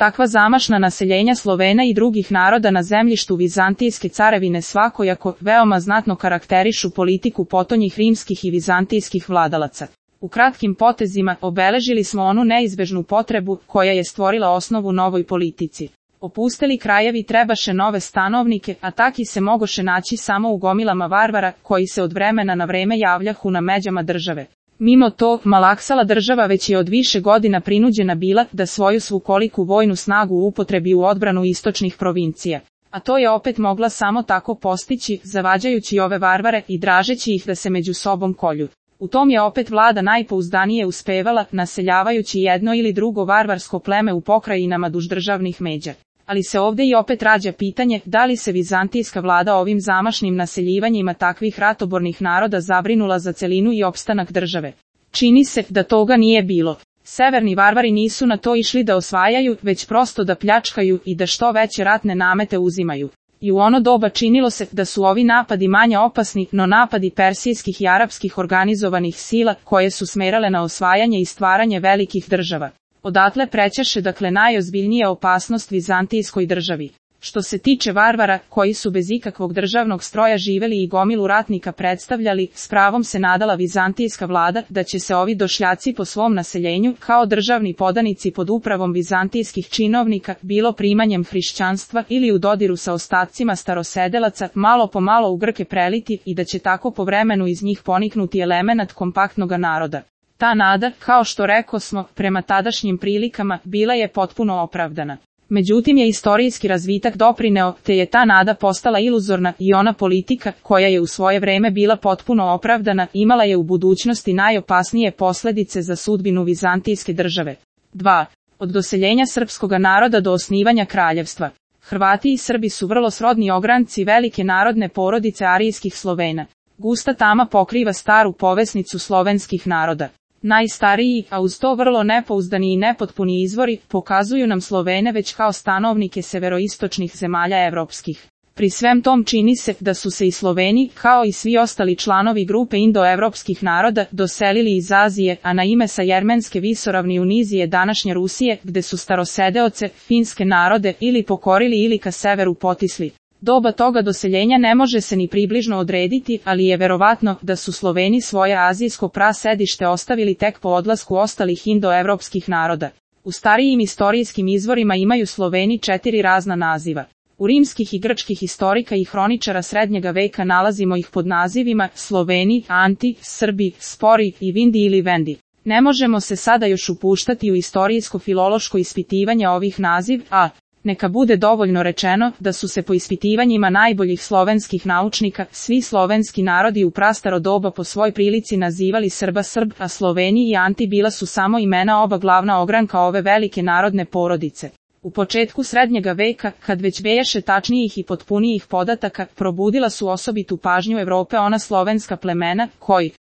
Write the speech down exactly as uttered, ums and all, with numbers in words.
Takva zamašna naseljenja Slovena i drugih naroda na zemljištu Vizantijske carevine svakojako veoma znatno karakterišu politiku potonjih rimskih i vizantijskih vladalaca. U kratkim potezima obeležili smo onu neizbežnu potrebu koja je stvorila osnovu novoj politici. Opusteli krajevi trebaše nove stanovnike, a taki se mogoše naći samo u gomilama varvara koji se od vremena na vreme javljahu na međama države. Mimo to, malaksala država već je od više godina prinuđena bila da svoju svukoliku vojnu snagu upotrebi u odbranu istočnih provincija. A to je opet mogla samo tako postići, zavađajući ove varvare i dražeći ih da se među sobom kolju. U tom je opet vlada najpouzdanije uspevala, naseljavajući jedno ili drugo varvarsko pleme u pokrajinama duž državnih međa. Ali se ovdje i opet rađa pitanje da li se vizantijska vlada ovim zamašnim naseljivanjima takvih ratobornih naroda zabrinula za celinu i opstanak države. Čini se da toga nije bilo. Severni varvari nisu na to išli da osvajaju, već prosto da pljačkaju i da što veće ratne namete uzimaju. I u ono doba činilo se da su ovi napadi manje opasni, no napadi persijskih i arapskih organizovanih sila koje su smerale na osvajanje i stvaranje velikih država. Odatle prećeše dakle najozbiljnija opasnost vizantijskoj državi. Što se tiče varvara, koji su bez ikakvog državnog stroja živeli i gomilu ratnika predstavljali, s pravom se nadala vizantijska vlada da će se ovi došljaci po svom naseljenju, kao državni podanici pod upravom vizantijskih činovnika, bilo primanjem hrišćanstva ili u dodiru sa ostacima starosedelaca, malo po malo u Grke preliti i da će tako po vremenu iz njih poniknuti elemenat kompaktnoga naroda. Ta nada, kao što rekosmo, prema tadašnjim prilikama, bila je potpuno opravdana. Međutim je istorijski razvitak doprineo, te je ta nada postala iluzorna i ona politika, koja je u svoje vreme bila potpuno opravdana, imala je u budućnosti najopasnije posljedice za sudbinu vizantijske države. dva. Od doseljenja srpskoga naroda do osnivanja kraljevstva. Hrvati i Srbi su vrlo srodni ogranci velike narodne porodice arijskih Slovena. Gusta tama pokriva staru povesnicu slovenskih naroda. Najstariji, a uz to vrlo nepouzdani i nepotpuni izvori, pokazuju nam Slovene već kao stanovnike severoistočnih zemalja evropskih. Pri svem tom čini se da su se i Sloveni, kao i svi ostali članovi grupe indoevropskih naroda, doselili iz Azije, a na ime sa Jermenske visoravni u nizije današnje Rusije, gde su starosedeoce, finske narode, ili pokorili ili ka severu potisli. Doba toga doseljenja ne može se ni približno odrediti, ali je verovatno da su Sloveni svoje azijsko prasedište ostavili tek po odlasku ostalih indoevropskih naroda. U starijim istorijskim izvorima imaju Sloveni četiri razna naziva. U rimskih i grčkih historika i hroničara srednjega veka nalazimo ih pod nazivima Sloveni, Anti, Srbi, Spori i Vindi ili Vendi. Ne možemo se sada još upuštati u istorijsko-filološko ispitivanje ovih naziv, a neka bude dovoljno rečeno da su se po ispitivanjima najboljih slovenskih naučnika svi slovenski narodi u prastaro doba po svoj prilici nazivali Srba Srb, a Sloveni i Anti bila su samo imena oba glavna ogranka ove velike narodne porodice. U početku srednjega veka, kad već bejaše tačnijih i potpunijih podataka, probudila su osobitu pažnju Evrope ona slovenska plemena, koji,